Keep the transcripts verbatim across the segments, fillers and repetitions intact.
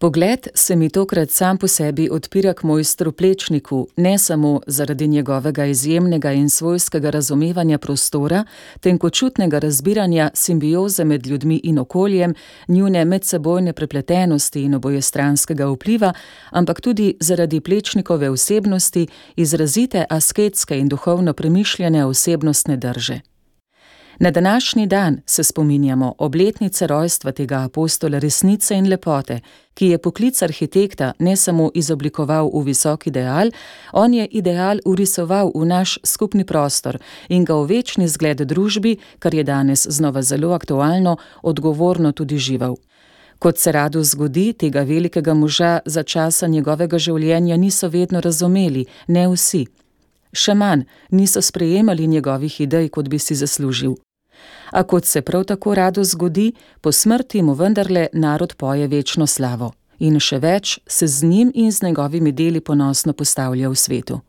Pogled se mi tokrat sam po sebi odpira k mojstru Plečniku, ne samo zaradi njegovega izjemnega in svojskega razumevanja prostora, tenkočutnega razbiranja simbioze med ljudmi in okoljem, njune medsebojne prepletenosti in obojestranskega vpliva, ampak tudi zaradi Plečnikove osebnosti, izrazite asketske in duhovno premišljene osebnostne drže. Na današnji dan se spominjamo obletnice rojstva tega apostola resnice in lepote, ki je poklic arhitekta ne samo izoblikoval v visok ideal, on je ideal vrisoval v naš skupni prostor in ga v večni zgled družbi, kar je danes znova zelo aktualno, odgovorno tudi živel. Kot se rado zgodi, tega velikega moža za časa njegovega življenja niso vedno razumeli, ne vsi. Še manj niso sprejemali njegovih idej, kot bi si zaslužil. A kot se prav tako rado zgodi, po smrti mu vendarle narod poje večno slavo in še več se z njim in z njegovimi deli ponosno postavlja v svetu.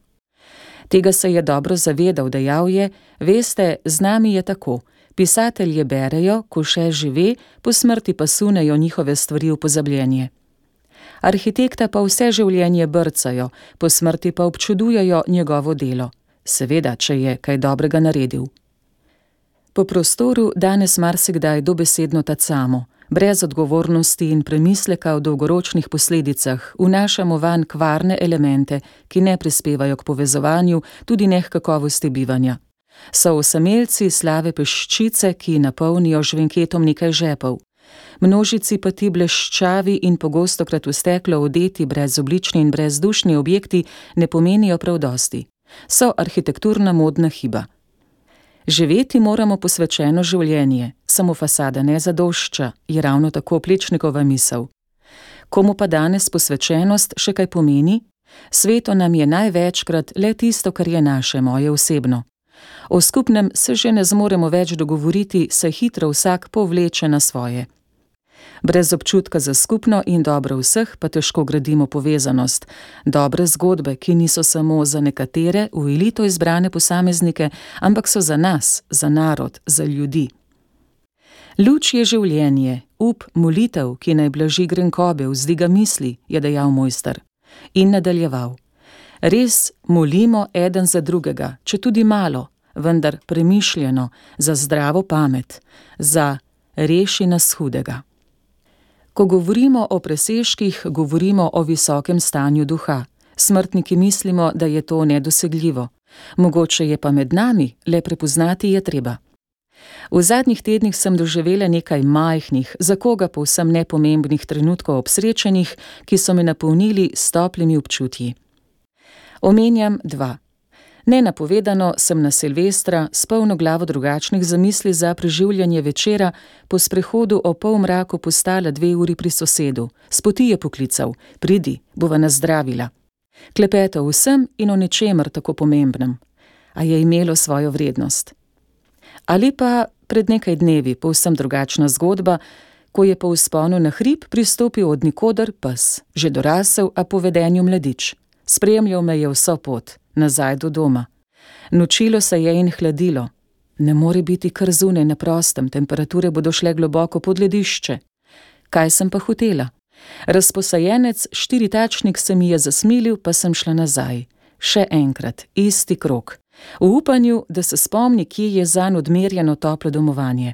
Tega se je dobro zavedal, dejal je: veste, z nami je tako, pisatelje berejo, ko še žive, po smrti pa sunejo njihove stvari v pozabljenje. Arhitekta pa vse življenje brcajo, po smrti pa občudujejo njegovo delo, seveda, če je kaj dobrega naredil. Po prostoru danes marsikdaj dobesedno tacamo, brez odgovornosti in premisleka o dolgoročnih posledicah, vnašamo vanj kvarne elemente, ki ne prispevajo k povezovanju, tudi ne k kakovosti bivanja. So osamelci slave peščice, ki napolnijo žvenketom nekaj žepov. Množici pa ti bleščavi in pogostokrat v steklo odeti brezoblični in brezdušni objekti ne pomenijo prav dosti. So arhitekturna modna hiba. Živeti moramo posvečeno življenje, samo fasada ne zadošča, je ravno tako Plečnikova misel. Komu pa danes posvečenost še kaj pomeni? Sveto nam je največkrat le tisto, kar je naše, moje osebno. O skupnem se že ne zmoremo več dogovoriti, se hitro vsak povleče na svoje. Brez občutka za skupno in dobro vseh pa težko gradimo povezanost, dobre zgodbe, ki niso samo za nekatere, v elito izbrane posameznike, ampak so za nas, za narod, za ljudi. Luč je življenje, up, molitev, ki naj blaži grenkobe, vzdiga misli, je dejal mojster. In nadaljeval: res molimo eden za drugega, če tudi malo, vendar premišljeno, za zdravo pamet, za reši nas hudega. Ko govorimo o presežkih, govorimo o visokem stanju duha. Smrtniki mislimo, da je to nedosegljivo. Mogoče je pa med nami, le prepoznati je treba. V zadnjih tednih sem doživela nekaj majhnih, za koga povsem nepomembnih trenutkov obsrečenih, ki so me napolnili s toplimi občutji. Omenjam dva. Nenapovedano sem na Silvestra s polno glavo drugačnih zamisli za preživljanje večera po sprehodu o polmraku postala dve uri pri sosedu. S poti je poklical: pridi, bova nas zdravila. Klepetal vsem in o ničemer tako pomembnem. A je imelo svojo vrednost. Ali pa pred nekaj dnevi povsem drugačna zgodba, ko je po vzponu na hrib pristopil od nikoder pes, že dorasel, a po vedenju mladič. Spremljal me je vso pot, nazaj do doma. Nočilo se je in hladilo. Ne more biti kar zunaj na prostem, temperature bodo šle globoko pod ledišče. Kaj sem pa hotela? Razposajenec štiritačnik se mi je zasmilil, pa sem šla nazaj. Še enkrat, isti krog. V upanju, da se spomni, kje je zanj odmerjeno toplo domovanje.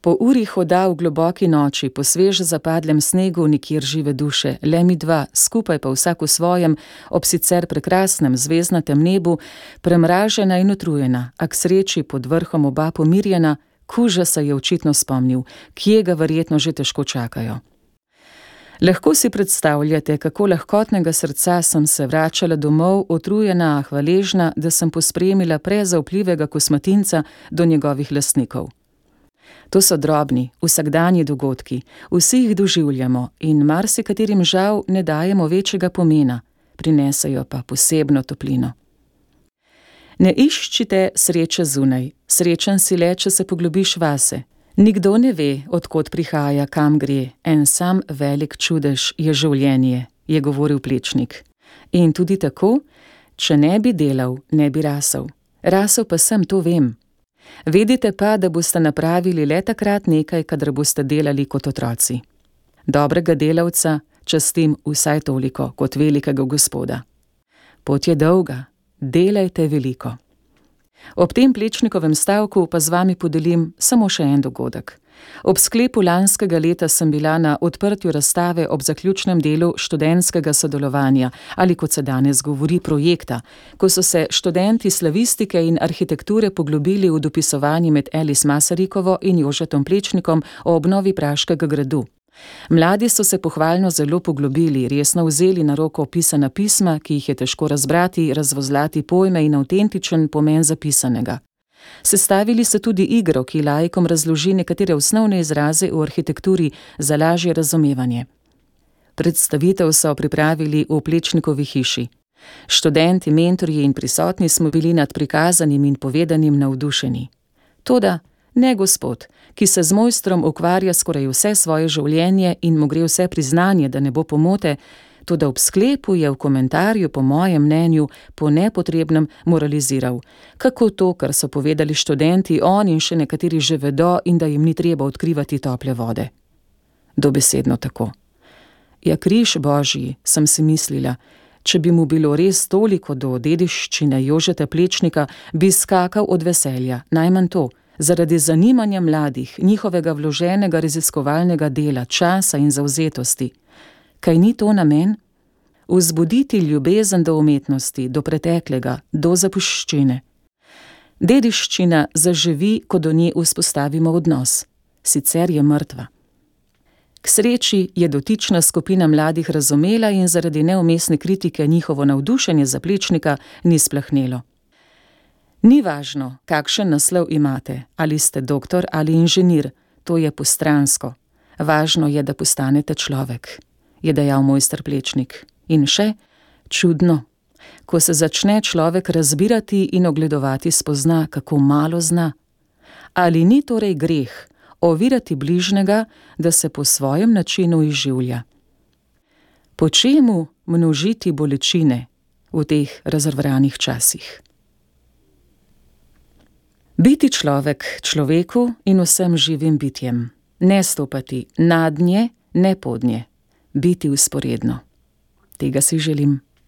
Po uri hoda v globoki noči, po sveže zapadlem snegu, nikjer žive duše, le mi dva, skupaj pa vsak v svojem, ob sicer prekrasnem zvezdnatem nebu, premražena in utrujena, a k sreči pod vrhom oba pomirjena, kuža se je očitno spomnil, kje ga verjetno že težko čakajo. Lahko si predstavljate, kako lahkotnega srca sem se vračala domov, utrujena, a hvaležna, da sem pospremila prezaupljivega kosmatinca do njegovih lastnikov. To so drobni, vsakdanji dogodki, vsi jih doživljamo in marsikaterim žal ne dajemo večjega pomena, prinesejo pa posebno toplino. Ne iščite sreče zunaj, srečen si le, če se poglobiš vase. Nikdo ne ve, od kod prihaja, kam gre, en sam velik čudež je življenje, je govoril Plečnik. In tudi tako, če ne bi delal, ne bi rasel. Rasel pa sem, to vem. Vedite pa, da boste napravili le takrat nekaj, kadar boste delali kot otroci. Dobrega delavca, častim vsaj toliko kot velikega Gospoda. Pot je dolga, delajte veliko. Ob tem Plečnikovem stavku pa z vami podelim samo še en dogodek. Ob sklepu lanskega leta sem bila na odprtju razstave ob zaključnem delu študentskega sodelovanja ali, kot se danes govori, projekta, ko so se študenti slavistike in arhitekture poglobili v dopisovanje med Alice Masarikovo in Jožetom Plečnikom o obnovi Praškega gradu. Mladi so se pohvalno zelo poglobili, resno vzeli na roko pisana pisma, ki jih je težko razbrati, razvozlati pojme in avtentičen pomen zapisanega. Sestavili so tudi igro, ki laikom razloži nekatere osnovne izraze v arhitekturi za lažje razumevanje. Predstavitev so pripravili v Plečnikovi hiši. Študenti, mentorji in prisotni smo bili nad prikazanim in povedanim navdušeni. Toda ne Gospod, ki se z mojstrom ukvarja skoraj vse svoje življenje in mu gre vse priznanje, da ne bo pomote, toda ob sklepu je v komentarju, po mojem mnenju, po nepotrebnem moraliziral, kako to, kar so povedali študenti, on in še nekateri že vedo in da jim ni treba odkrivati tople vode. Dobesedno tako. Ja, križ Božji, sem si mislila, če bi mu bilo res toliko do dediščine Jožeta Plečnika, bi skakal od veselja, najmanj to, zaradi zanimanja mladih, njihovega vloženega raziskovalnega dela, časa in zavzetosti. Kaj ni to namen? Vzbuditi ljubezen do umetnosti, do preteklega, do zapuščine. Dediščina zaživi, ko do nje vzpostavimo odnos, sicer je mrtva. K sreči je dotična skupina mladih razumela in zaradi neumestne kritike njihovo navdušenje za Plečnika ni splahnelo. Ni važno, kakšen naslov imate, ali ste doktor ali inženir, to je postransko. Važno je, da postanete človek, je dejal mojster Plečnik. In še, čudno, ko se začne človek razbirati in ogledovati, spozna, kako malo zna. Ali ni torej greh ovirati bližnjega, da se po svojem načinu izživlja? Po čemu množiti bolečine v teh razrvranih časih? Biti človek človeku in vsem živim bitjem. Ne stopati nadnje, ne podnje. Biti vzporedno. Tega si želim.